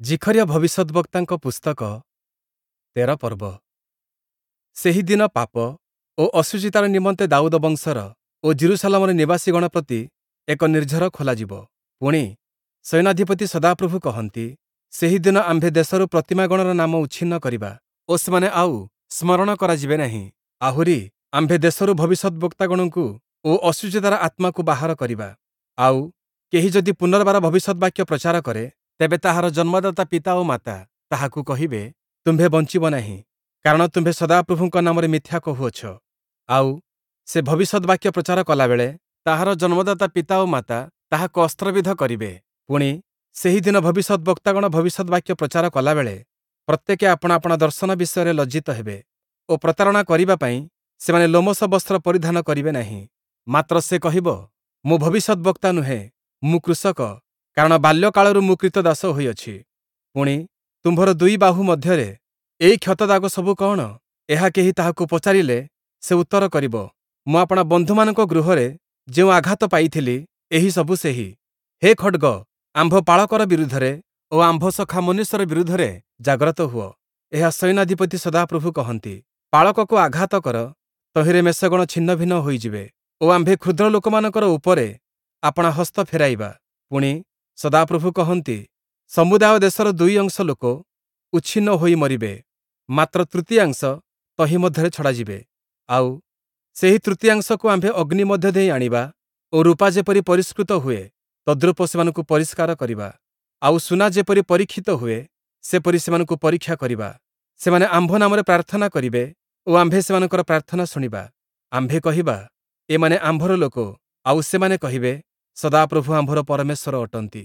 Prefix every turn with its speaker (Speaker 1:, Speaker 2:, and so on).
Speaker 1: ଜିଖରିୟ ଭବିଷ୍ୟଦ୍‌ବକ୍ତାଙ୍କ ପୁସ୍ତକ ୧୩ ପର୍ବ। ସେହି ଦିନ ପାପ ଓ ଅଶୁଚିତାର ନିମନ୍ତେ ଦାଉଦ ବଂଶର ଓ ଯିରୂଶାଲମର ନିବାସୀଗଣ ପ୍ରତି ଏକ ନିର୍ଝର ଖୋଲାଯିବ। ପୁଣି, ସୈନ୍ୟାଧିପତି ସଦାପ୍ରଭୁ କହନ୍ତି, ସେହି ଦିନ ଆମ୍ଭେ ଦେଶରୁ ପ୍ରତିମାଗଣର ନାମ ଉଚ୍ଛିନ୍ନ କରିବା ଓ ସେମାନେ ଆଉ ସ୍ମରଣ କରାଯିବେ ନାହିଁ। ଆହୁରି, ଆମ୍ଭେ ଦେଶରୁ ଭବିଷ୍ୟଦ୍‌ବକ୍ତାଗଣଙ୍କୁ ଓ ଅଶୁଚିତାର ଆତ୍ମାକୁ ବାହାର କରିବା। ଆଉ କେହି ଯଦି ପୁନର୍ବାର ଭବିଷ୍ୟଦ୍‌ବାକ୍ୟ ପ୍ରଚାର କରେ, ତେବେ ତାହାର ଜନ୍ମଦାତା ପିତା ଓ ମାତା ତାହାକୁ କହିବେ, ତୁମ୍ଭେ ବଞ୍ଚିବ ନାହିଁ, କାରଣ ତୁମ୍ଭେ ସଦାପ୍ରଭୁଙ୍କ ନାମରେ ମିଥ୍ୟା କହୁଅଛ। ଆଉ ସେ ଭବିଷ୍ୟଦ୍‌ବାକ୍ୟ ପ୍ରଚାର କଲାବେଳେ ତାହାର ଜନ୍ମଦାତା ପିତା ଓ ମାତା ତାହାକୁ ଅସ୍ତ୍ରବିଦ୍ଧ କରିବେ। ପୁଣି, ସେହି ଦିନ ଭବିଷ୍ୟଦ୍‌ବକ୍ତାଗଣ ଭବିଷ୍ୟଦ୍‌ବାକ୍ୟ ପ୍ରଚାର କଲାବେଳେ ପ୍ରତ୍ୟେକେ ଆପଣା ଆପଣା ଦର୍ଶନ ବିଷୟରେ ଲଜ୍ଜିତ ହେବେ ଓ ପ୍ରତାରଣା କରିବା ପାଇଁ ସେମାନେ ଲୋମଶ ବସ୍ତ୍ର ପରିଧାନ କରିବେ ନାହିଁ। ମାତ୍ର ସେ କହିବ, ମୁଁ ଭବିଷ୍ୟଦ୍‌ବକ୍ତା ନୁହେଁ, ମୁଁ କୃଷକ, କାରଣ ବାଲ୍ୟକାଳରୁ ମୁଁ କ୍ରୀତଦାସ ହୋଇଅଛି। ପୁଣି, ତୁମ୍ଭର ଦୁଇ ବାହୁ ମଧ୍ୟରେ ଏହି କ୍ଷତଦାଗ ସବୁ କଅଣ? ଏହା କେହି ତାହାକୁ ପଚାରିଲେ ସେ ଉତ୍ତର କରିବ, ମୁଁ ଆପଣା ବନ୍ଧୁମାନଙ୍କ ଗୃହରେ ଯେଉଁ ଆଘାତ ପାଇଥିଲି, ଏହି ସବୁ ସେହି। ହେ ଖଡ଼୍ଗ, ଆମ୍ଭ ପାଳକର ବିରୁଦ୍ଧରେ ଓ ଆମ୍ଭ ସଖା ମନୁଷ୍ୟର ବିରୁଦ୍ଧରେ ଜାଗ୍ରତ ହୁଅ। ଏହା ସୈନ୍ୟାଧିପତି ସଦାପ୍ରଭୁ କହନ୍ତି। ପାଳକକୁ ଆଘାତ କର, ତହିଁରେ ମେଷଗଣ ଛିନ୍ନଭିନ୍ନ ହୋଇଯିବେ ଓ ଆମ୍ଭେ କ୍ଷୁଦ୍ର ଲୋକମାନଙ୍କର ଉପରେ ଆପଣା ହସ୍ତ ଫେରାଇବା। ପୁଣି, ସଦାପ୍ରଭୁ କହନ୍ତି, ସମୁଦାୟ ଦେଶର ଦୁଇ ଅଂଶ ଲୋକ ଉଚ୍ଛିନ୍ନ ହୋଇ ମରିବେ, ମାତ୍ର ତୃତୀୟାଂଶ ତହିଁ ମଧ୍ୟରେ ଛଡ଼ାଯିବେ। ଆଉ ସେହି ତୃତୀୟାଂଶକୁ ଆମ୍ଭେ ଅଗ୍ନି ମଧ୍ୟ ଦେଇ ଆଣିବା ଓ ରୂପା ଯେପରି ପରିଷ୍କୃତ ହୁଏ, ତଦ୍ରୂପ ସେମାନଙ୍କୁ ପରିଷ୍କାର କରିବା। ଆଉ ସୁନା ଯେପରି ପରୀକ୍ଷିତ ହୁଏ, ସେପରି ସେମାନଙ୍କୁ ପରୀକ୍ଷା କରିବା। ସେମାନେ ଆମ୍ଭ ନାମରେ ପ୍ରାର୍ଥନା କରିବେ ଓ ଆମ୍ଭେ ସେମାନଙ୍କର ପ୍ରାର୍ଥନା ଶୁଣିବା। ଆମ୍ଭେ କହିବା, ଏମାନେ ଆମ୍ଭର ଲୋକ, ଆଉ ସେମାନେ କହିବେ, ସଦାପ୍ରଭୁ ଆମ୍ଭର ପରମେଶ୍ୱର ଅଟନ୍ତି।